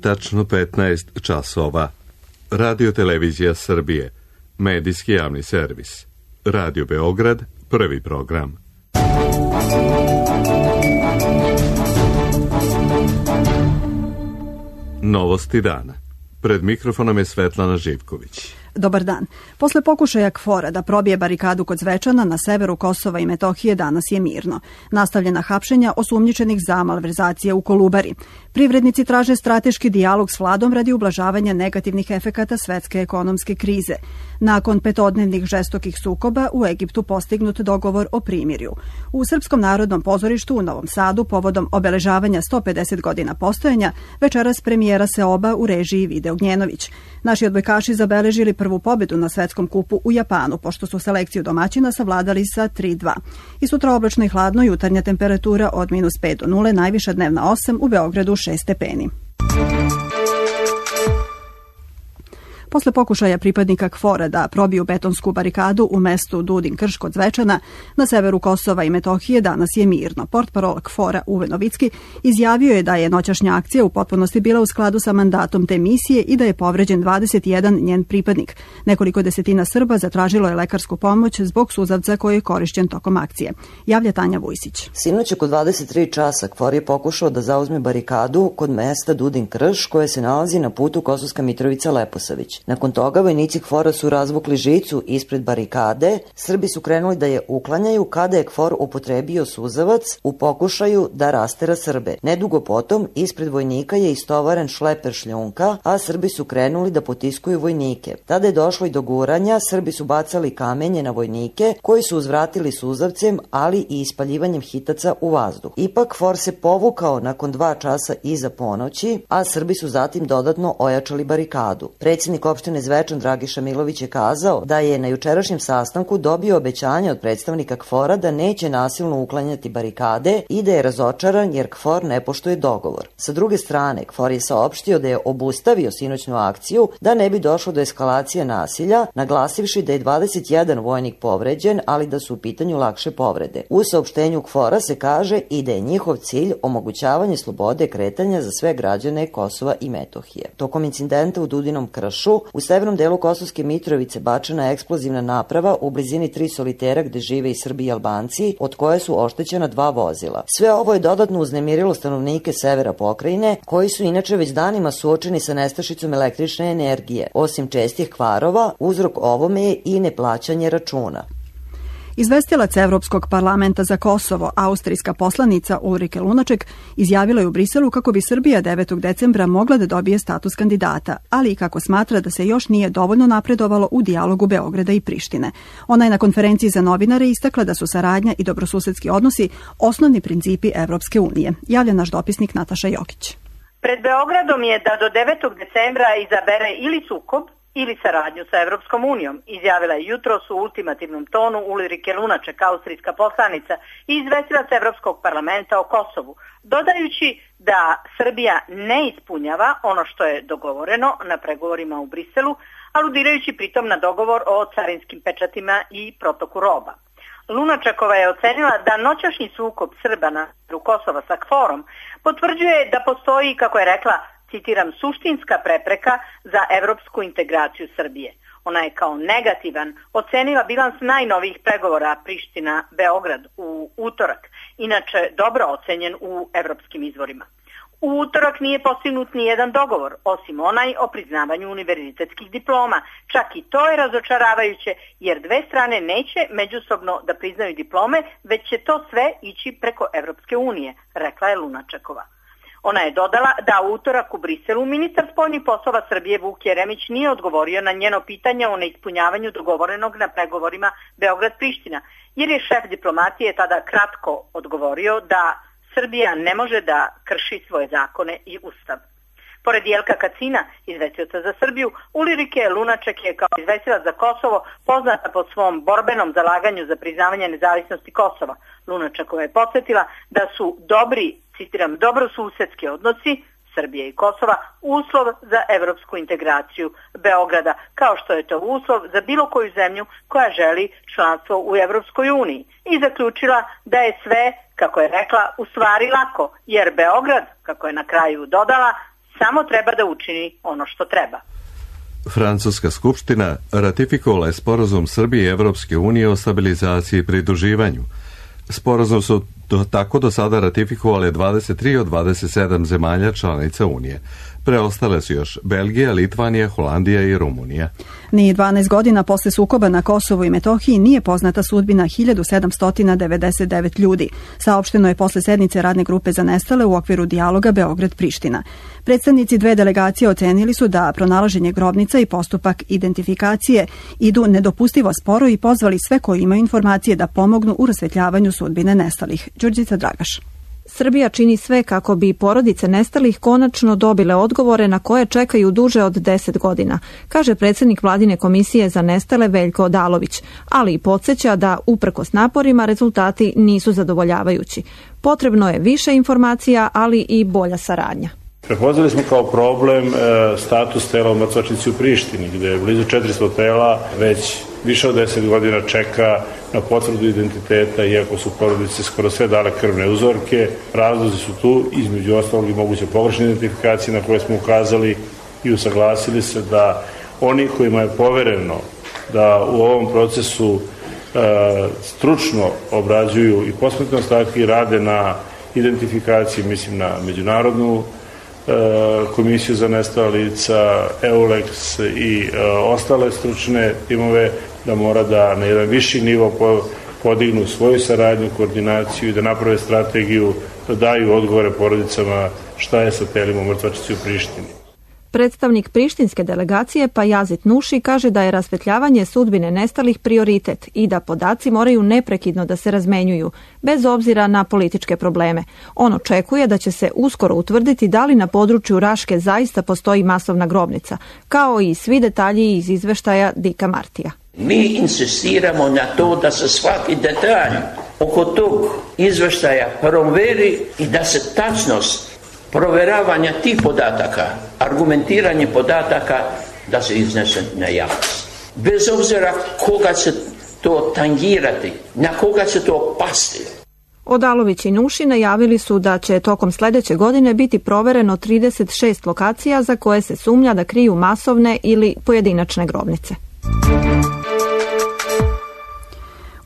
tačno 15 časova. Radio Televizija Srbije, medijski javni servis. Radio Beograd, prvi program. Novosti dana. Pred mikrofonom je Svetlana Živković. Dobar dan. Posle pokušaja KFOR-a da probije barikadu kod Zvečana na severu Kosova i Metohije danas je mirno. Nastavljena hapšenja osumnjičenih za malverzacije u Kolubari. Privrednici traže strateški dijalog s vladom radi ublažavanja negativnih efekata svetske ekonomske krize. Nakon petodnevnih žestokih sukoba u Egiptu postignut dogovor o primirju. U Srpskom narodnom pozorištu u Novom Sadu povodom obeležavanja 150 godina postojanja večeras premijera Seoba u režiji Vide Ognjenović. Naši odbojkaši zabeležili prvu pobedu na svetskom kupu u Japanu, pošto su selekciju domaćina savladali sa 3-2. I sutra oblačno i hladno, jutarnja temperatura od -5 do 0, najviša dnevna 8, u Beogradu 6 stepeni. Posle pokušaja pripadnika KFOR-a da probiju betonsku barikadu u mestu Dudin Krš kod Zvečana, na severu Kosova i Metohije danas je mirno. Portparol KFOR-a Uve Novicki izjavio je da je noćašnja akcija u potpunosti bila u skladu sa mandatom te misije i da je povređen 21 njen pripadnik. Nekoliko desetina Srba zatražilo je lekarsku pomoć zbog suzavca koji je korišćen tokom akcije. Javlja Tanja Vujsić. Sinoć oko 23 časa KFOR je pokušao da zauzme barikadu kod mesta Dudin Krš koje se nalazi na putu Kosovska Mitrovica-Leposavić. Nakon toga vojnici KFOR-a su razvukli žicu ispred barikade, Srbi su krenuli da je uklanjaju kada je KFOR upotrebio suzavac u pokušaju da rastera Srbe. Nedugo potom ispred vojnika je istovaren šleper šljunka, a Srbi su krenuli da potiskuju vojnike. Tada je došlo i do guranja, Srbi su bacali kamenje na vojnike koji su uzvratili suzavcem, ali i ispaljivanjem hitaca u vazduh. Ipak KFOR se povukao nakon 2 časa iza ponoći, a Srbi su zatim dodatno ojačali barikadu. Predsjednik opštine Zvečan Dragiša Milović je kazao da je na jučerašnjem sastanku dobio obećanje od predstavnika KFOR-a da neće nasilno uklanjati barikade i da je razočaran jer KFOR ne poštuje dogovor. Sa druge strane, KFOR je saopštio da je obustavio sinoćnu akciju da ne bi došlo do eskalacije nasilja, naglasivši da je 21 vojnik povređen, ali da su u pitanju lakše povrede. U saopštenju KFOR-a se kaže i da je njihov cilj omogućavanje slobode kretanja za sve građane Kosova i Metohije. Tokom incidenta u Dudinom Kršu, u severnom delu Kosovske Mitrovice bačena je eksplozivna naprava u blizini 3 solitera gde žive i Srbi i Albanci, od koje su oštećena 2 vozila. Sve ovo je dodatno uznemirilo stanovnike severa pokrajine, koji su inače već danima suočeni sa nestašicom električne energije. Osim čestih kvarova, uzrok ovome je i neplaćanje računa. Izvestilac Evropskog parlamenta za Kosovo, austrijska poslanica Ulrike Lunaček, izjavila je u Briselu kako bi Srbija 9. decembra mogla da dobije status kandidata, ali i kako smatra da se još nije dovoljno napredovalo u dijalogu Beograda i Prištine. Ona je na konferenciji za novinare istakla da su saradnja i dobrosusedski odnosi osnovni principi Evropske unije. Javlja naš dopisnik Nataša Jokić. Pred Beogradom je da do 9. decembra izabere ili sukob ili saradnju sa Evropskom unijom, izjavila je jutros u ultimativnom tonu Ulrike Lunaček, austrijska poslanica i izvestilac Evropskog parlamenta o Kosovu, dodajući da Srbija ne ispunjava ono što je dogovoreno na pregovorima u Briselu, aludirajući pritom na dogovor o carinskim pečatima i protoku roba. Lunačekova je ocenila da noćašnji sukob Srba na Kosova sa KFOR-om potvrđuje da postoji, kako je rekla, citiram, suštinska prepreka za evropsku integraciju Srbije. Ona je kao negativan ocenila bilans najnovijih pregovora Priština-Beograd u utorak, inače dobro ocenjen u evropskim izvorima. U utorak nije postignut ni jedan dogovor, osim onaj o priznavanju univerzitetskih diploma. Čak i to je razočaravajuće, jer dve strane neće međusobno da priznaju diplome, već će to sve ići preko Evropske unije, rekla je Lunačekova. Ona je dodala da u utorak u Briselu ministar spoljnih poslova Srbije Vuk Jeremić nije odgovorio na njeno pitanje o neispunjavanju dogovorenog na pregovorima Beograd-Priština, jer je šef diplomatije tada kratko odgovorio da Srbija ne može da krši svoje zakone i ustav. Pored Jelka Kacina, izvestioca za Srbiju, Ulrike Lunaček je kao izvestilac za Kosovo poznata po svom borbenom zalaganju za priznavanje nezavisnosti Kosova. Lunačekova je podsjetila da su dobri, citiram, dobrosusedski odnosi Srbije i Kosova uslov za evropsku integraciju Beograda, kao što je to uslov za bilo koju zemlju koja želi članstvo u Evropskoj uniji. I zaključila da je sve, kako je rekla, u stvari lako, jer Beograd, kako je na kraju dodala, samo treba da učini ono što treba. Francuska skupština ratifikovala je sporazum Srbije i Evropske unije o stabilizaciji i pridruživanju. Sporazum su tako do sada ratifikovale 23 od 27 zemalja članica Unije. Preostale su još Belgija, Litvanija, Holandija i Rumunija. Ni 12 godina posle sukoba na Kosovu i Metohiji nije poznata sudbina 1799 ljudi. Saopšteno je posle sednice radne grupe za nestale u okviru dijaloga Beograd-Priština. Predstavnici dve delegacije ocenili su da pronalaženje grobnica i postupak identifikacije idu nedopustivo sporo i pozvali sve koji imaju informacije da pomognu u rasvetljavanju sudbine nestalih. Đurđica Dragaš. Srbija čini sve kako bi porodice nestalih konačno dobile odgovore na koje čekaju duže od 10 godina, kaže predsjednik Vladine komisije za nestale Veljko Odalović, ali i podsjeća da uprkos naporima rezultati nisu zadovoljavajući. Potrebno je više informacija, ali i bolja saradnja. Prepoznali smo kao problem status tela u mrtvačnici u Prištini, gde je blizu 400 tela već više od 10 godina čeka na potvrdu identiteta, iako su porodice skoro sve dale krvne uzorke. Razlozi su tu, između ostalog i moguće pogrešne identifikacije na koje smo ukazali i usaglasili se da oni kojima je povereno da u ovom procesu stručno obrađuju i posmrtne ostatke i rade na identifikaciji, mislim na međunarodnu komisiju za nestala lica, EULEX i ostale stručne timove, da mora da na jedan viši nivo podignu svoju saradnju, koordinaciju i da naprave strategiju, da daju odgovore porodicama šta je sa telima u mrtvačnici u Prištini. Predstavnik prištinske delegacije Pajazit Nuši kaže da je rasvetljavanje sudbine nestalih prioritet i da podaci moraju neprekidno da se razmenjuju, bez obzira na političke probleme. On očekuje da će se uskoro utvrditi da li na području Raške zaista postoji masovna grobnica, kao i svi detalji iz izveštaja Dika Martija. Mi insistiramo na to da se svaki detalj oko tog izveštaja proveri i da se tačnost proveravanja tih podataka, argumentiranje podataka, da se iznese na javnost. Bez obzira koga će to tangirati, na koga će to pasti. Odalović i Nuši najavili su da će tokom sljedeće godine biti provereno 36 lokacija za koje se sumnja da kriju masovne ili pojedinačne grobnice.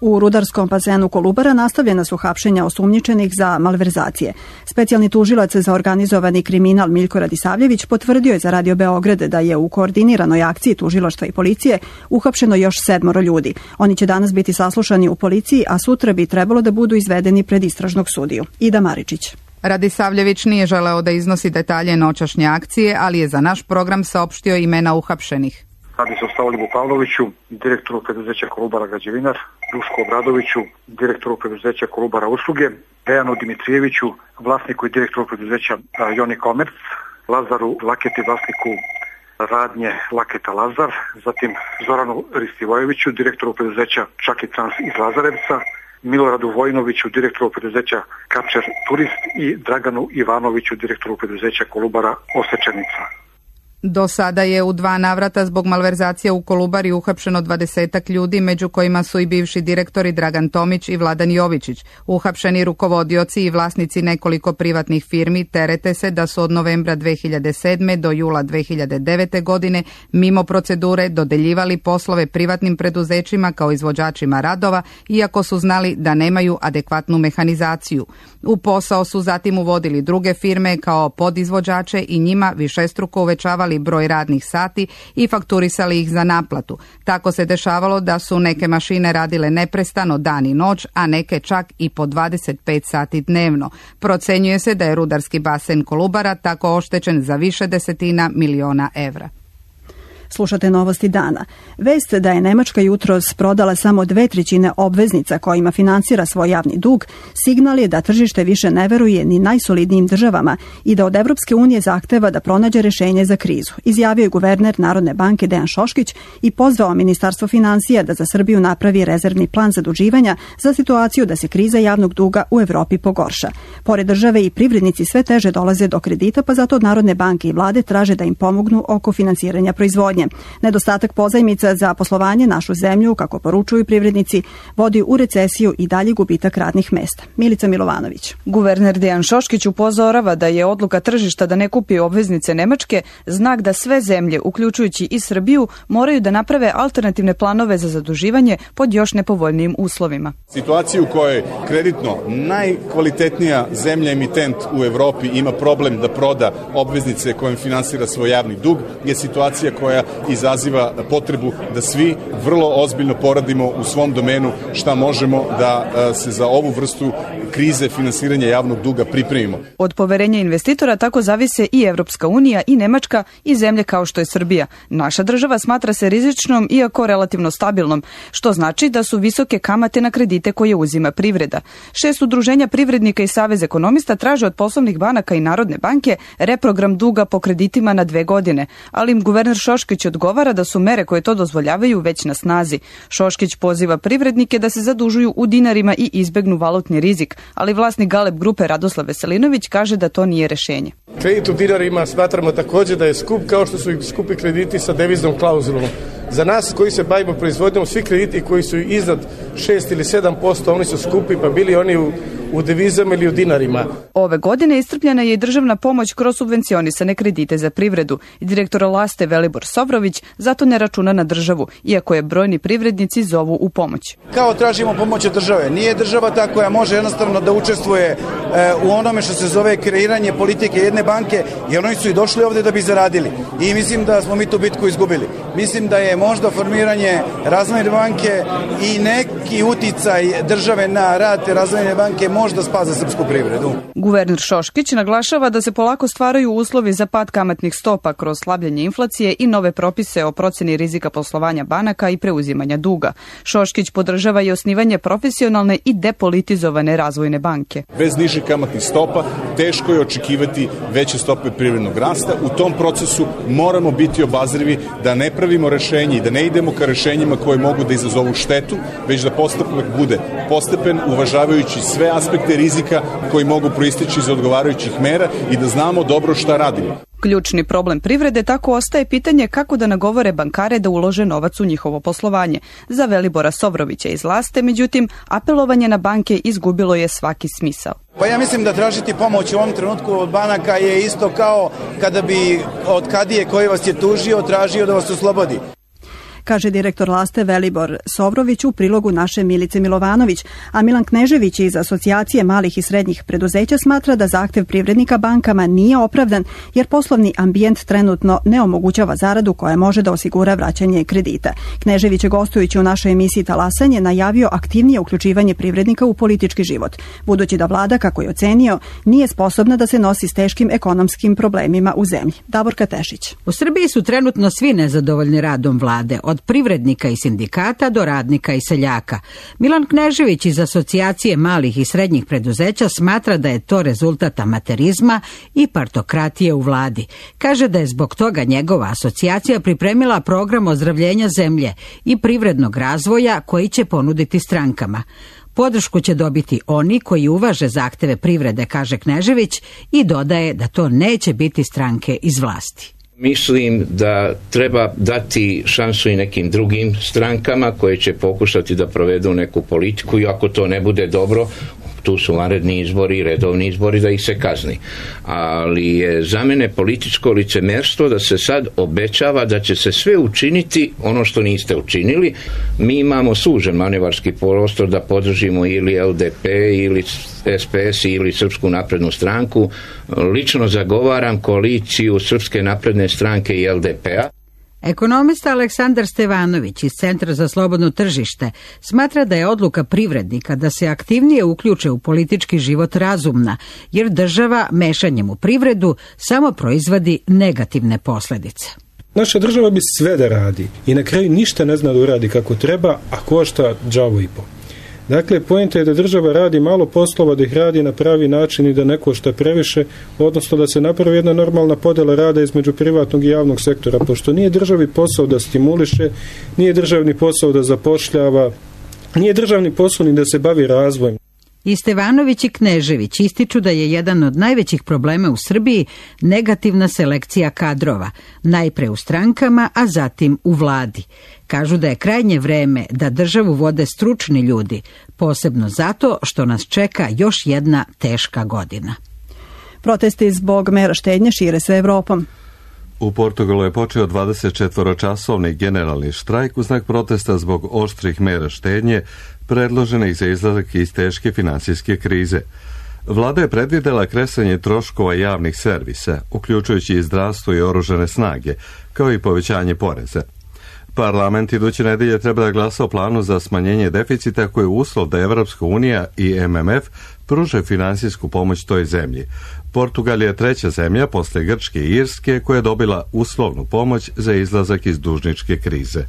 U rudarskom bazenu Kolubara nastavljena su hapšenja osumnjičenih za malverzacije. Specijalni tužilac za organizovani kriminal Miljko Radisavljević potvrdio je za Radio Beograd da je u koordiniranoj akciji tužilaštva i policije uhapšeno još 7 ljudi. Oni će danas biti saslušani u policiji, a sutra bi trebalo da budu izvedeni pred istražnog sudiju. Ida Maričić. Radisavljević nije želeo da iznosi detalje noćašnje akcije, ali je za naš program saopštio imena uhapšenih. Radi se o Stavolibu Pavloviću, direktoru preduzeća Kolubara Građevinar, Duško Obradoviću, direktoru preduzeća Kolubara Usluge, Dejanu Dimitrijeviću, vlasniku i direktoru preduzeća Joni Komerc, Lazaru Laketi, vlasniku radnje Laketa Lazar, zatim Zoranu Ristivojeviću, direktoru preduzeća Čaki Trans iz Lazarevca, Miloradu Vojnoviću, direktoru preduzeća Kačer Turist i Draganu Ivanoviću, direktoru preduzeća Kolubara Osečenica. Do sada je u 2 navrata zbog malverzacija u Kolubari uhapšeno 20 ljudi, među kojima su i bivši direktori Dragan Tomić i Vladan Jovičić. Uhapšeni rukovodioci i vlasnici nekoliko privatnih firmi terete se da su od novembra 2007. do jula 2009. godine mimo procedure dodeljivali poslove privatnim preduzećima kao izvođačima radova, iako su znali da nemaju adekvatnu mehanizaciju. U posao su zatim uvodili druge firme kao podizvođače i njima višestruko uvećavali broj radnih sati i fakturisali ih za naplatu. Tako se dešavalo da su neke mašine radile neprestano dan i noć, a neke čak i po 25 sati dnevno. Procenjuje se da je rudarski basen Kolubara tako oštećen za više desetina miliona evra. Slušate novosti dana. Vest da je Nemačka jutros prodala samo 2/3 obveznica kojima finansira svoj javni dug, signal je da tržište više ne veruje ni najsolidnijim državama i da od Evropske unije zahteva da pronađe rešenje za krizu, izjavio je guverner Narodne banke Dejan Šoškić i pozvao Ministarstvo finansija da za Srbiju napravi rezervni plan zaduživanja za situaciju da se kriza javnog duga u Evropi pogorša. Pored države i privrednici sve teže dolaze do kredita, pa zato od Narodne banke i vlade traže da im pomognu oko finansiranja proizvodnje. Nedostatak pozajmica za poslovanje našu zemlju, kako poručuju privrednici, vodi u recesiju i dalji gubitak radnih mesta. Milica Milovanović. Guverner Dejan Šoškić upozorava da je odluka tržišta da ne kupi obveznice Nemačke znak da sve zemlje, uključujući i Srbiju, moraju da naprave alternativne planove za zaduživanje pod još nepovoljnijim uslovima. Situacija u kojoj kreditno najkvalitetnija zemlja emitent u Evropi ima problem da proda obveznice kojim finansira svoj javni dug je situacija koja izaziva potrebu da svi vrlo ozbiljno poradimo u svom domenu šta možemo da se za ovu vrstu krize finansiranja javnog duga pripremimo. Od poverenja investitora tako zavise i Evropska unija i Nemačka i zemlje kao što je Srbija. Naša država smatra se rizičnom iako relativno stabilnom, što znači da su visoke kamate na kredite koje uzima privreda. 6 udruženja privrednika i Savez ekonomista traže od poslovnih banaka i Narodne banke reprogram duga po kreditima na 2 godine, ali im guverner Šoškić odgovara da su mere koje to dozvoljavaju već na snazi. Šoškić poziva privrednike da se zadužuju u dinarima i izbegnu valutni rizik, ali vlasnik Galeb grupe Radoslav Veselinović kaže da to nije rešenje. Kredit u dinarima smatramo također da je skup kao što su i skupi krediti sa deviznom klauzulom. Za nas koji se bavimo proizvodnjom, svi krediti koji su iznad 6 ili 7%, oni su skupi, pa bili oni u devizama ili u dinarima. Ove godine iscrpljena je i državna pomoć kroz subvencionisane kredite za privredu. Direktor Laste Velibor Sovrović zato ne računa na državu, iako je brojni privrednici zovu u pomoć. Kao tražimo pomoć od države. Nije država ta koja može jednostavno da učestvuje u onome što se zove kreiranje politike jedne banke, jer oni su i došli ovde da bi zaradili. I mislim da smo mi tu bitku izgubili. Mislim da je možda formiranje razvojne banke i neki uticaj države na rad te razvojne banke možda spase srpsku privredu. Guverner Šoškić naglašava da se polako stvaraju uslovi za pad kamatnih stopa kroz slabljenje inflacije i nove propise o proceni rizika poslovanja banaka i preuzimanja duga. Šoškić podržava i osnivanje profesionalne i depolitizovane razvojne banke. Bez nižih kamatnih stopa teško je očekivati veće stope privrednog rasta. U tom procesu moramo biti obazrivi da ne pravimo rešenje i da ne idemo ka rešenjima koje mogu da izazovu štetu, već da postupak bude postepen, uvažavajući sve aspekte rizika koji mogu proisteći iz odgovarajućih mera i da znamo dobro šta radimo. Ključni problem privrede tako ostaje pitanje kako da nagovore bankare da ulože novac u njihovo poslovanje. Za Velibora Sovrovića iz Laste, međutim, apelovanje na banke izgubilo je svaki smisao. Pa ja mislim da tražiti pomoć u ovom trenutku od banaka je isto kao kada bi od kadije koji vas je tužio tražio da vas oslobodi. Kaže direktor Laste Velibor Sovrović u prilogu naše Milice Milovanović, a Milan Knežević iz Asocijacije malih i srednjih preduzeća smatra da zahtev privrednika bankama nije opravdan jer poslovni ambijent trenutno ne omogućava zaradu koja može da osigura vraćanje kredita. Knežević je gostujući u našoj emisiji Talasanje najavio aktivnije uključivanje privrednika u politički život, budući da vlada, kako je ocenio, nije sposobna da se nosi s teškim ekonomskim problemima u zemlji. Davorka Tešić. U Srbiji su trenutno svi nezadovoljni radom vlade, od privrednika i sindikata do radnika i seljaka. Milan Knežević iz Asocijacije malih i srednjih preduzeća smatra da je to rezultat amaterizma i partokratije u vladi. Kaže da je zbog toga njegova asocijacija pripremila program ozdravljenja zemlje i privrednog razvoja koji će ponuditi strankama. Podršku će dobiti oni koji uvaže zahteve privrede, kaže Knežević, i dodaje da to neće biti stranke iz vlasti. Mislim da treba dati šansu i nekim drugim strankama koje će pokušati da provedu neku politiku i ako to ne bude dobro, tu su vanredni izbori, redovni izbori, da ih se kazni. Ali je za mene političko licemerstvo da se sad obećava da će se sve učiniti ono što niste učinili. Mi imamo sužen manevarski prostor da podržimo ili LDP ili SPS ili Srpsku naprednu stranku. Lično zagovaram koaliciju Srpske napredne stranke i LDP-a. Ekonomista Aleksandar Stevanović iz Centra za slobodno tržište smatra da je odluka privrednika da se aktivnije uključe u politički život razumna, jer država mešanjem u privredu samo proizvodi negativne posljedice. Naša država bi sve da radi i na kraju ništa ne zna da uradi kako treba, a košta đavo i po. Dakle, poenta je da država radi malo poslova, da ih radi na pravi način i da ne košta previše, odnosno da se napravi jedna normalna podjela rada između privatnog i javnog sektora, pošto nije državi posao da stimuliše, nije državni posao da zapošljava, nije državni posao ni da se bavi razvojem. I Stevanović i Knežević ističu da je jedan od najvećih problema u Srbiji negativna selekcija kadrova, najpre u strankama, a zatim u vladi. Kažu da je krajnje vreme da državu vode stručni ljudi, posebno zato što nas čeka još jedna teška godina. Protesti zbog mera štednje šire se Evropom. U Portugalu je počeo 24-časovni generalni štrajk u znak protesta zbog oštrih mera štednje predloženih za izlazak iz teške finansijske krize. Vlada je predvidela kresanje troškova javnih servisa, uključujući i zdravstvo i oružane snage, kao i povećanje poreza. Parlament iduće nedelje treba da glasa o planu za smanjenje deficita koji je uslov da Evropska unija i MMF pruže finansijsku pomoć toj zemlji. Portugal je treća zemlja posle Grčke i Irske koja je dobila uslovnu pomoć za izlazak iz dužničke krize.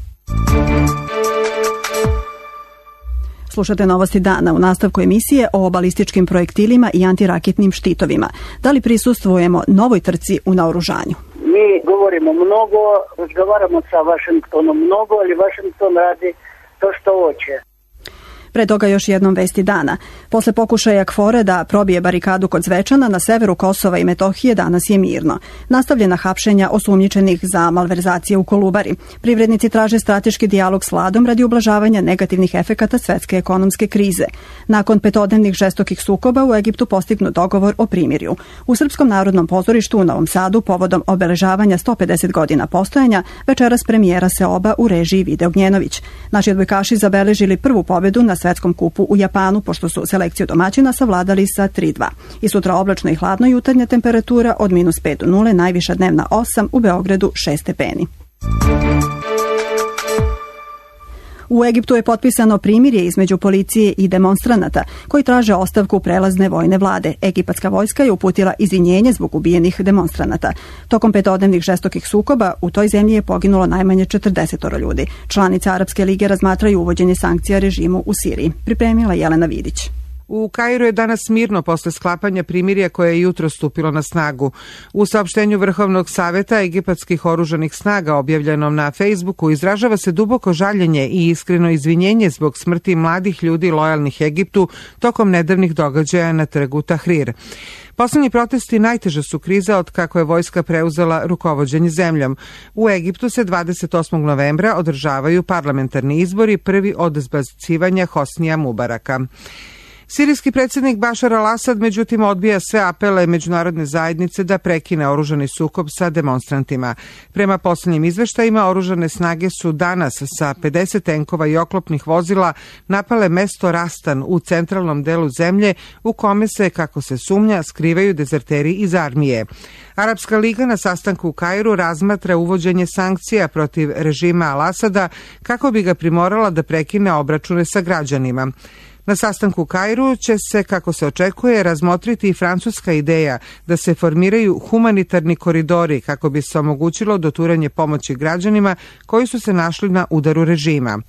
Slušate novosti dana u nastavku emisije o balističkim projektilima i antiraketnim štitovima. Da li prisustvujemo novoj trci u naoružanju? Mi govorimo mnogo, razgovaramo sa Vašingtonom mnogo, ali Vašington radi to što hoće. Pre toga još jednom vesti dana. Posle pokušaja KFOR-a da probije barikadu kod Zvečana na severu Kosova i Metohije danas je mirno. Nastavljena hapšenja osumnjičenih za malverzacije u Kolubari. Privrednici traže strateški dijalog s vladom radi ublažavanja negativnih efekata svetske ekonomske krize. Nakon petodnevnih žestokih sukoba u Egiptu postignut dogovor o primirju. U Srpskom narodnom pozorištu u Novom Sadu povodom obeležavanja 150 godina postojanja večeras premijera Seoba u režiji Vide Ognjenović. Naši odbojkaši zabeležili prvu pobedu na svetskom kupu u Japanu, pošto su selekciju domaćina savladali sa 3:2. I sutra oblačno i hladno, jutarnja temperatura od -5 do 0, najviša dnevna 8, u Beogradu 6 stepeni. U Egiptu je potpisano primirje između policije i demonstranata koji traže ostavku prelazne vojne vlade. Egipatska vojska je uputila izvinjenje zbog ubijenih demonstranata. Tokom petodnevnih žestokih sukoba u toj zemlji je poginulo najmanje 40 ljudi. Članice Arapske lige razmatraju uvođenje sankcija režimu u Siriji. Pripremila Jelena Vidić. U Kairu je danas mirno posle sklapanja primirja koje je jutro stupilo na snagu. U saopštenju Vrhovnog saveta egipatskih oružanih snaga objavljenom na Facebooku izražava se duboko žaljenje i iskreno izvinjenje zbog smrti mladih ljudi lojalnih Egiptu tokom nedavnih događaja na trgu Tahrir. Poslednji protesti najteža su kriza od kako je vojska preuzela rukovođenje zemljom. U Egiptu se 28. novembra održavaju parlamentarni izbori, prvi od zbacivanja Hosnija Mubaraka. Sirijski predsjednik Bašar al-Asad međutim odbija sve apele međunarodne zajednice da prekine oružani sukob sa demonstrantima. Prema posljednjim izveštajima, oružane snage su danas sa 50 tenkova i oklopnih vozila napale mesto Rastan u centralnom delu zemlje u kome se, kako se sumnja, skrivaju dezerteri iz armije. Arapska liga na sastanku u Kairu razmatra uvođenje sankcija protiv režima al-Asada kako bi ga primorala da prekine obračune sa građanima. Na sastanku u Kairu će se, kako se očekuje, razmotriti i francuska ideja da se formiraju humanitarni koridori kako bi se omogućilo doturanje pomoći građanima koji su se našli na udaru režima.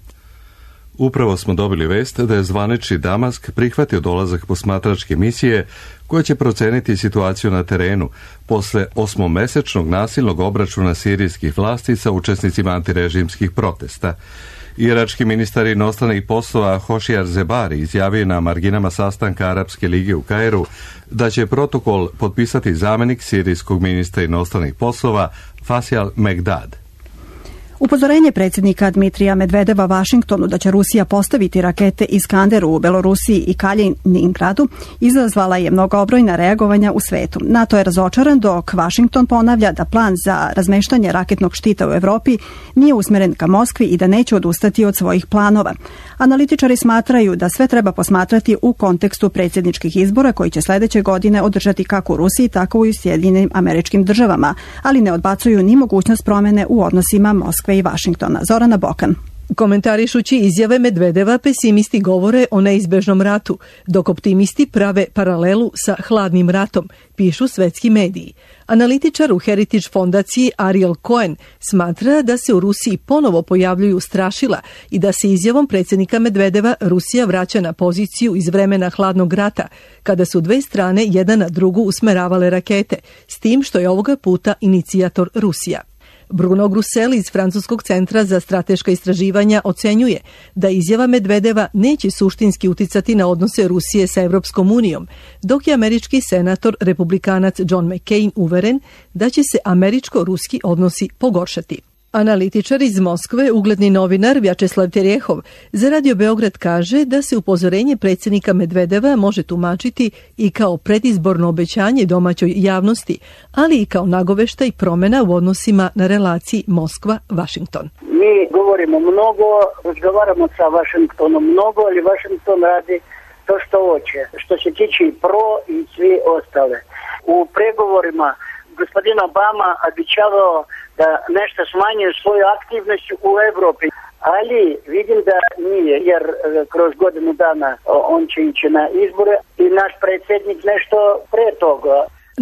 Upravo smo dobili vest da je zvanični Damask prihvatio dolazak posmatračke misije koja će proceniti situaciju na terenu posle 8-mesečnog nasilnog obračuna sirijskih vlasti sa učesnicima antirežimskih protesta. Irački ministar inostranih poslova Hošijar Zebari izjavio na marginama sastanka Arapske lige u Kairu da će protokol potpisati zamenik sirijskog ministra inostranih poslova Faisal Megdad. Upozorenje predsjednika Dmitrija Medvedeva Vašingtonu da će Rusija postaviti rakete Iskander u Belorusiji i Kaliningradu izazvala je mnogobrojna reagovanja u svetu. NATO je razočaran dok Vašington ponavlja da plan za razmeštanje raketnog štita u Evropi nije usmeren ka Moskvi i da neće odustati od svojih planova. Analitičari smatraju da sve treba posmatrati u kontekstu predsjedničkih izbora koji će sledeće godine održati kako u Rusiji, tako i u Sjedinjenim Američkim Državama, ali ne odbacuju ni mogućnost promene u odnosima Moskve i Vašingtona. Zorana Bokan. Komentarišući izjave Medvedeva, pesimisti govore o neizbežnom ratu, dok optimisti prave paralelu sa hladnim ratom, pišu svetski mediji. Analitičar u Heritage fondaciji Ariel Cohen smatra da se u Rusiji ponovo pojavljuju strašila i da se izjavom predsjednika Medvedeva Rusija vraća na poziciju iz vremena hladnog rata, kada su dve strane jedna na drugu usmeravale rakete, s tim što je ovoga puta inicijator Rusija. Bruno Grusel iz Francuskog centra za strateška istraživanja ocenjuje da izjava Medvedeva neće suštinski uticati na odnose Rusije sa Evropskom unijom, dok je američki senator republikanac John McCain uveren da će se američko-ruski odnosi pogoršati. Analitičar iz Moskve, ugledni novinar Vjačeslav Terjehov, za Radio Beograd kaže da se upozorenje predsjednika Medvedeva može tumačiti i kao predizborno obećanje domaćoj javnosti, ali i kao nagoveštaj promjena u odnosima na relaciji Moskva-Vašington. Mi govorimo mnogo, razgovaramo sa Vašingtonom mnogo, ali Vašington radi to što hoće, što se tiče i pro i svi ostale. U pregovorima gospodin Obama običavao da nešto smanjuje svoju aktivnost u Evropi, ali vidim da nije, jer kroz godinu dana on će ići na izbore i naš predsjednik nešto pre toga.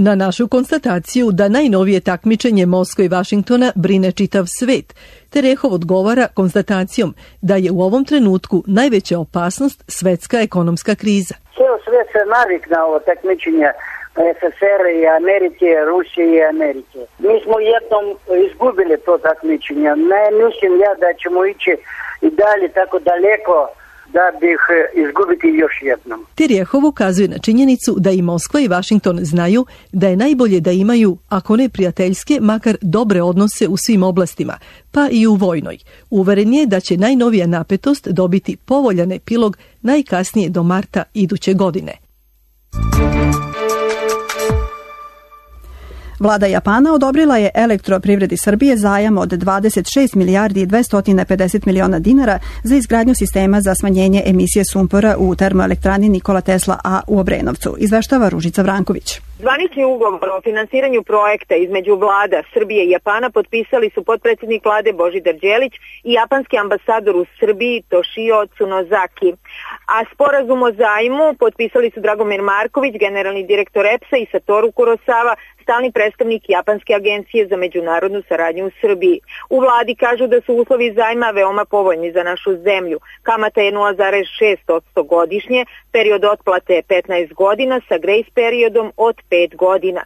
Na našu konstataciju da najnovije takmičenje Moskve i Vašingtona brine čitav svet, Terehov odgovara konstatacijom da je u ovom trenutku najveća opasnost svetska ekonomska kriza. Ceo svet se naviknao takmičenja SSR i Amerike, Rusije i Amerike. Mi smo jednom izgubili to takmičenje. Ne mislim ja da ćemo ići i dalje tako daleko da bih izgubiti još jednom. Terjehov ukazuje na činjenicu da i Moskva i Vašington znaju da je najbolje da imaju, ako ne prijateljske, makar dobre odnose u svim oblastima, pa i u vojnoj. Uveren je da će najnovija napetost dobiti povoljan epilog najkasnije do marta iduće godine. Vlada Japana odobrila je Elektroprivredi Srbije zajam od 26 milijardi i 250 miliona dinara za izgradnju sistema za smanjenje emisije sumpora u termoelektrani Nikola Tesla A u Obrenovcu, izveštava Ružica Vranković. Zvanični ugovor o finansiranju projekta između vlada Srbije i Japana potpisali su potpredsjednik vlade Božidar Đelić i japanski ambasador u Srbiji Toshio Tsunozaki. A sporazum o zajmu potpisali su Dragomir Marković, generalni direktor EPS-a i Satoru Kurosawa, stalni predstavnik Japanske agencije za međunarodnu saradnju u Srbiji. U vladi kažu da su uslovi zajma veoma povoljni za našu zemlju. Kamata je 0,6% godišnje, period otplate je 15 godina sa grace periodom od 5 godina.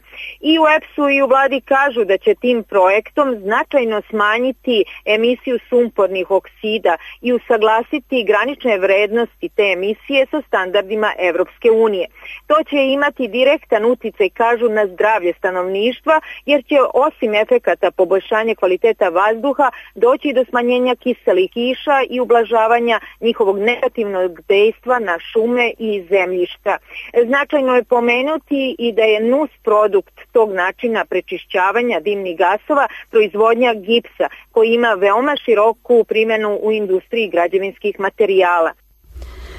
I u EPS-u i u vladi kažu da će tim projektom značajno smanjiti emisiju sumpornih oksida i usaglasiti granične vrednosti te emisije sa standardima Evropske unije. To će imati direktan uticaj, kažu, na zdravlje stanovništva, jer će osim efekata poboljšanja kvaliteta vazduha doći do smanjenja kiselih kiša i ublažavanja njihovog negativnog dejstva na šume i zemljišta. Značajno je pomenuti i da je nus produkt tog načina prečišćavanja dimnih gasova proizvodnja gipsa, koji ima veoma široku primjenu u industriji građevinskih materijala.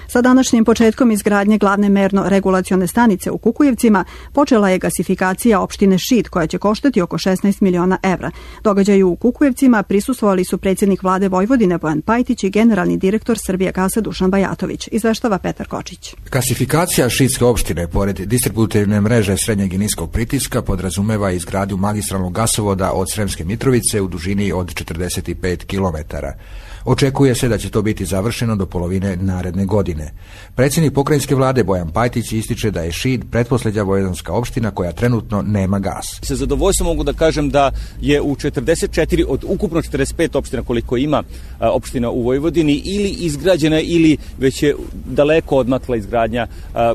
Sa današnjim početkom izgradnje glavne merno-regulacione stanice u Kukujevcima počela je gasifikacija opštine Šid, koja će koštati oko 16 miliona evra. Događaju u Kukujevcima prisustvovali su predsjednik vlade Vojvodine Bojan Pajtić i generalni direktor Srbijagasa Dušan Bajatović, izveštava Petar Kočić. Gasifikacija Šidske opštine, pored distributivne mreže srednjeg i niskog pritiska, podrazumeva izgradnju magistralnog gasovoda od Sremske Mitrovice u dužini od 45 kilometara. Očekuje se da će to biti završeno do polovine naredne godine. Predsjednik pokrajinske vlade Bojan Pajtić ističe da je Šid pretposljednja vojedanska opština koja trenutno nema gas. Sa zadovoljstvom mogu da kažem da je u 44 od ukupno 45 opština koliko ima opština u Vojvodini ili izgrađena ili već je daleko odmakla izgradnja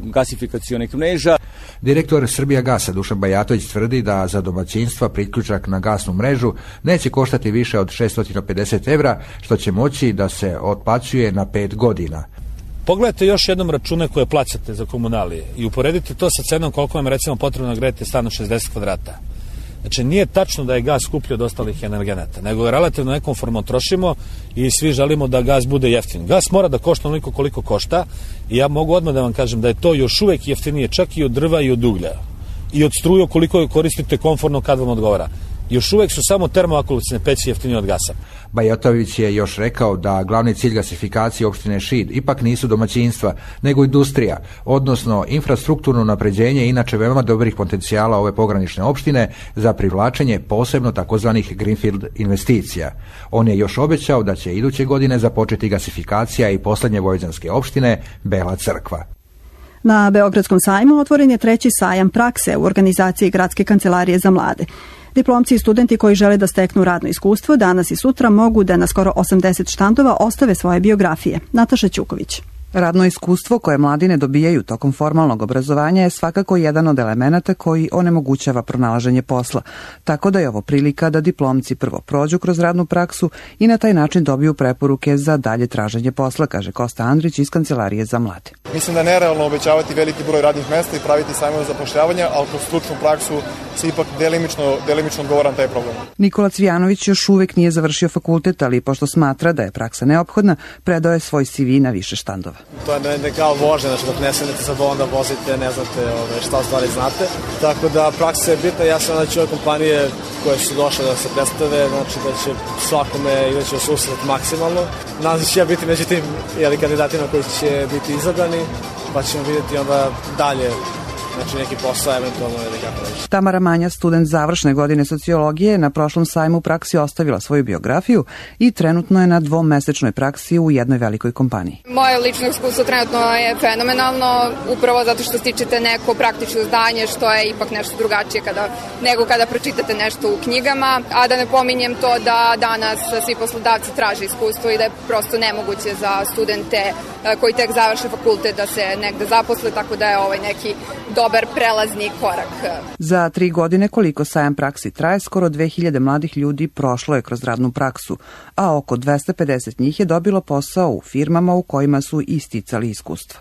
gasifikacionih mreža. Direktor Srbijagasa Dušan Bajatović tvrdi da za domaćinstva priključak na gasnu mrežu neće koštati više od 650 evra, što će moći da se otplaćuje na 5 godina. Pogledajte još jednom račune koje plaćate za komunalije i uporedite to sa cenom koliko vam recimo potrebno grejete stan od 60 kvadrata. Znači, nije tačno da je gas skuplji od ostalih energenata, nego je relativno nekonformno trošimo i svi želimo da gas bude jeftin. Gas mora da košta onoliko koliko košta i ja mogu odmah da vam kažem da je to još uvek jeftinije čak i od drva i od uglja i od struje koliko je koristite komforno kad vam odgovara. Još uvek su samo termoakumulacione peći jeftinije od gasa. Bajatović je još rekao da glavni cilj gasifikacije opštine Šid ipak nisu domaćinstva, nego industrija, odnosno infrastrukturno napređenje inače veoma dobrih potencijala ove pogranične opštine za privlačenje posebno takozvanih greenfield investicija. On je još obećao da će iduće godine započeti gasifikacija i poslednje vojvođanske opštine Bela Crkva. Na Beogradskom sajmu otvoren je treći sajam prakse u organizaciji Gradske kancelarije za mlade. Diplomci i studenti koji žele da steknu radno iskustvo danas i sutra mogu da na skoro 80 štandova ostave svoje biografije. Nataša Ćuković. Radno iskustvo koje mladi ne dobijaju tokom formalnog obrazovanja je svakako jedan od elemenata koji onemogućava pronalaženje posla, tako da je ovo prilika da diplomci prvo prođu kroz radnu praksu i na taj način dobiju preporuke za dalje traženje posla, kaže Kosta Andrić iz Kancelarije za mlade. Mislim da je nerealno obećavati veliki broj radnih mesta i praviti sajmove zapošljavanja, ali kroz stručnu praksu se ipak delimično odgovara na taj problem. Nikola Cvijanović još uvek nije završio fakultet, ali pošto smatra da je praksa neophodna, predao je svoj CV na više štandova. To je ne kao vožnja, znači dok ne sednete za volan da vozite, ne znate šta u stvari znate. Tako da praksa je bitna, ja sam znači ove kompanije koje su došle da se predstave, znači da će svakome izaći u susret maksimalno. Nadam se da će ja biti među tim kandidatima koji će biti izabrani, pa ćemo vidjeti onda dalje. Znači neki posao eventualno ili kako reći. Tamara Manja, student završne godine sociologije, na prošlom sajmu u praksi ostavila svoju biografiju i trenutno je na dvomesečnoj praksi u jednoj velikoj kompaniji. Moje lično iskustvo trenutno je fenomenalno, upravo zato što stičete neko praktično znanje što je ipak nešto drugačije nego kada pročitate nešto u knjigama, a da ne pominjem to da danas svi poslodavci traže iskustvo i da je prosto nemoguće za studente koji tek završe fakultet da se negde zaposle, tako da je ovaj neki dobar prelazni korak. Za 3 godine koliko sajam praksi traje, skoro 2000 mladih ljudi prošlo je kroz radnu praksu, a oko 250 njih je dobilo posao u firmama u kojima su isticali iskustva.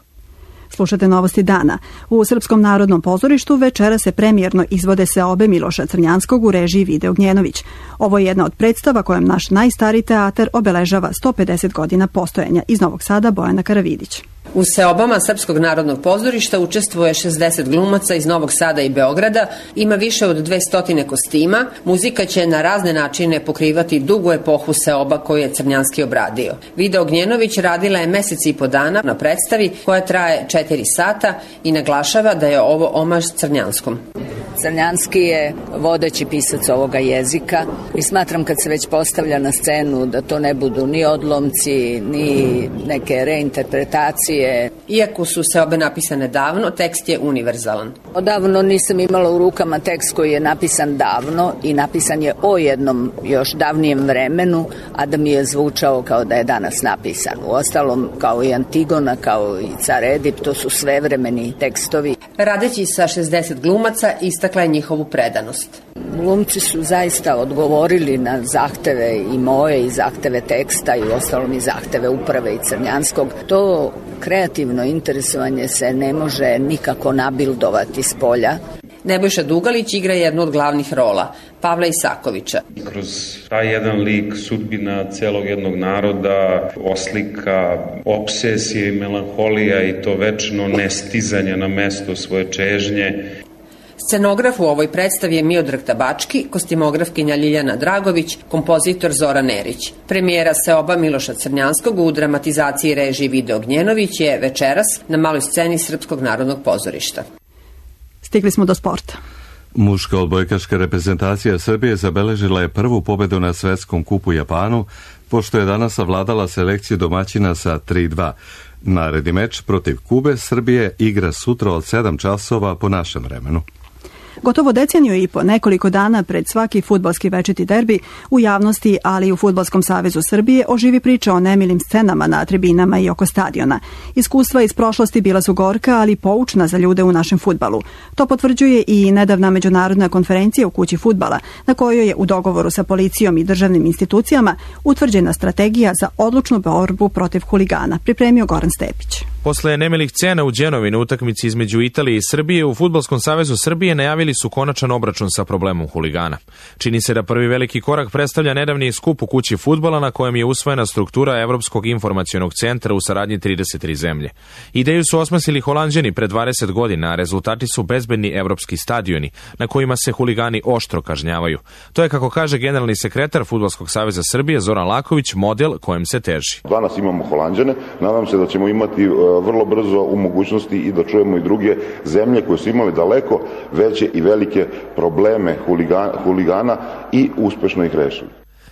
Slušate novosti dana. U Srpskom narodnom pozorištu večera se premijerno izvode seobe Miloša Crnjanskog u režiji Vide Ognjenović. Ovo je jedna od predstava kojom naš najstariji teatar obeležava 150 godina postojanja. Iz Novog Sada Bojana Karavidić. U seobama Srpskog narodnog pozorišta učestvuje 60 glumaca iz Novog Sada i Beograda, ima više od 200 kostima, muzika će na razne načine pokrivati dugu epohu seoba koju je Crnjanski obradio. Vida Ognjenović radila je mesec i po dana na predstavi koja traje 4 sata i naglašava da je ovo omaž Crnjanskom. Crnjanski je vodeći pisac ovoga jezika i smatram kad se već postavlja na scenu da to ne budu ni odlomci, ni neke reinterpretacije. Iako su seobe napisane davno, tekst je univerzalan. Odavno nisam imala u rukama tekst koji je napisan davno i napisan je o jednom još davnijem vremenu, a da mi je zvučao kao da je danas napisan. Uostalom, kao i Antigona, kao i Car Edip, to su svevremeni tekstovi. Radeći sa 60 glumaca, istakla je njihovu predanost. Glumci su zaista odgovorili na zahteve i moje i zahteve teksta i uostalom i zahteve uprave i Crnjanskog. To kreativno interesovanje se ne može nikako nabildovati s polja. Nebojša Dugalić igra jednu od glavnih rola, Pavla Isakovića. Kroz taj jedan lik sudbina celog jednog naroda oslika obsesije i melanholija i to večno nestizanje na mesto svoje čežnje. Scenograf u ovoj predstavi je Miodrag Tabački, kostimografkinja Ljiljana Dragović, kompozitor Zoran Erić. Premijera seoba Miloša Crnjanskog u dramatizaciji režiji Vide Ognjenović je večeras na maloj sceni Srpskog narodnog pozorišta. Stigli smo do sporta. Muška odbojkaška reprezentacija Srbije zabeležila je prvu pobedu na svetskom kupu Japanu, pošto je danas savladala selekciju domaćina sa 3-2. Naredni meč protiv Kube Srbije igra sutra od 7 časova po našem vremenu. Gotovo deceniju i po, nekoliko dana pred svaki fudbalski večiti derbi, u javnosti, ali i u Fudbalskom savezu Srbije, oživi priča o nemilim scenama na tribinama i oko stadiona. Iskustva iz prošlosti bila su gorka, ali poučna za ljude u našem fudbalu. To potvrđuje i nedavna međunarodna konferencija u kući fudbala, na kojoj je u dogovoru sa policijom i državnim institucijama utvrđena strategija za odlučnu borbu protiv huligana, pripremio Goran Stepić. Posle nemilih scena u Đenovi na utakmici između Italije i Srbije, u Fudbalskom savezu Srbije najavili su konačan obračun sa problemom huligana. Čini se da prvi veliki korak predstavlja nedavni skup u kući fudbala na kojem je usvojena struktura Evropskog informacionog centra u saradnji 33 zemlje. Ideju su osmislili Holanđani pre 20 godina, a rezultati su bezbedni evropski stadioni na kojima se huligani oštro kažnjavaju. To je, kako kaže generalni sekretar Fudbalskog saveza Srbije Zoran Laković, model kojem se teži. Danas imamo Holanđane, nadam se da ćemo imati vrlo brzo u mogućnosti i da čujemo i druge zemlje koje su imale daleko veće i velike probleme huligana i uspešno ih rešili.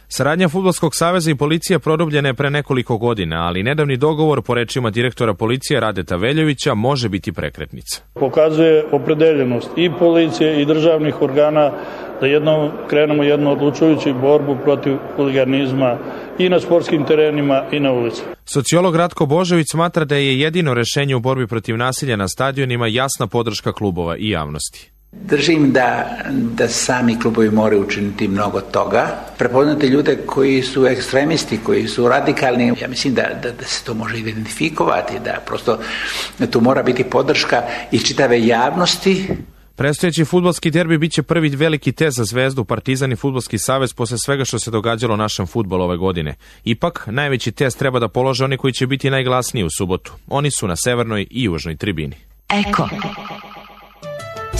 Saradnja Fudbalskog saveza i policije produbljena je pre nekoliko godina, ali nedavni dogovor, po rečima direktora policije Radeta Veljovića, može biti prekretnica. Pokazuje opredeljenost i policije i državnih organa da jednom krenemo jednu odlučujuću borbu protiv huliganizma i na sportskim terenima i na ulici. Sociolog Ratko Božović smatra da je jedino rešenje u borbi protiv nasilja na stadionima jasna podrška klubova i javnosti. Držim da sami klubovi moraju učiniti mnogo toga. Prepoznati ljude koji su ekstremisti, koji su radikalni. Ja mislim da se to može identifikovati, da prosto tu mora biti podrška i čitave javnosti. Predstojeći fudbalski derbi biće prvi veliki test za Zvezdu, Partizan i Fudbalski savez posle svega što se događalo našem fudbalu ove godine. Ipak, najveći test treba da polože oni koji će biti najglasniji u subotu. Oni su na severnoj i južnoj tribini. Eko.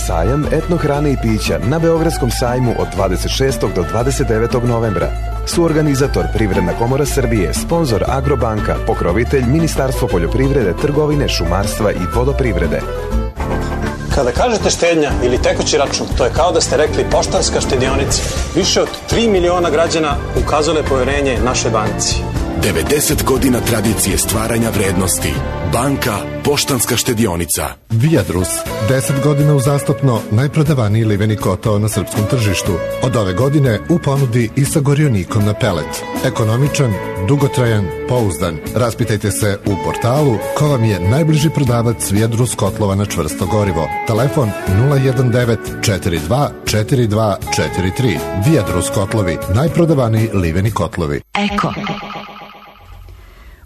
Sajam etno hrane i pića na Beogradskom sajmu od 26. do 29. novembra. Suorganizator Privredna komora Srbije, sponzor Agrobanka, pokrovitelj Ministarstvo poljoprivrede, trgovine, šumarstva i vodoprivrede. Kada kažete štednja ili tekući račun, to je kao da ste rekli Poštanska štedionica. Više od 3 miliona građana ukazale poverenje našoj banci. 90 godina tradicije stvaranja vrednosti. Banka Poštanska štedionica. Viadrus, 10 godina uzastopno najprodavaniji liveni kotao na srpskom tržištu. Od ove godine u ponudi i sa gorionikom na pelet. Ekonomičan, dugotrajan, pouzdan. Raspitajte se u portalu ko vam je najbliži prodavac Viadrus kotlova na čvrsto gorivo. Telefon 019 42 42 43. Viadrus kotlovi, najprodavaniji liveni kotlovi. Eko.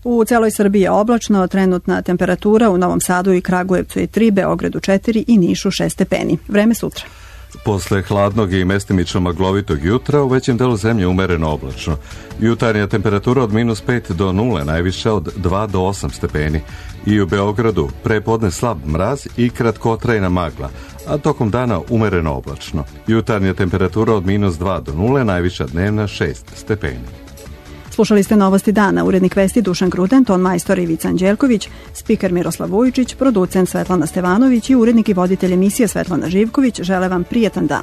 U celoj Srbiji je oblačno, trenutna temperatura u Novom Sadu i Kragujevcu je 3, Beogradu 4 i Nišu 6 stepeni. Vreme sutra. Posle hladnog i mestimično maglovitog jutra u većem delu zemlje umereno oblačno. Jutarnja temperatura od -5 do 0, najviša od 2 do 8 stepeni. I u Beogradu prepodne slab mraz i kratkotrajna magla, a tokom dana umereno oblačno. Jutarnja temperatura od -2 do 0, najviša dnevna 6 stepeni. Slušali ste Novosti dana, urednik vesti Dušan Gruden, ton majstor Ivica Anđelković, spiker Miroslav Vujičić, producent Svetlana Stevanović i urednik i voditelj emisije Svetlana Živković. Žele vam prijetan dan.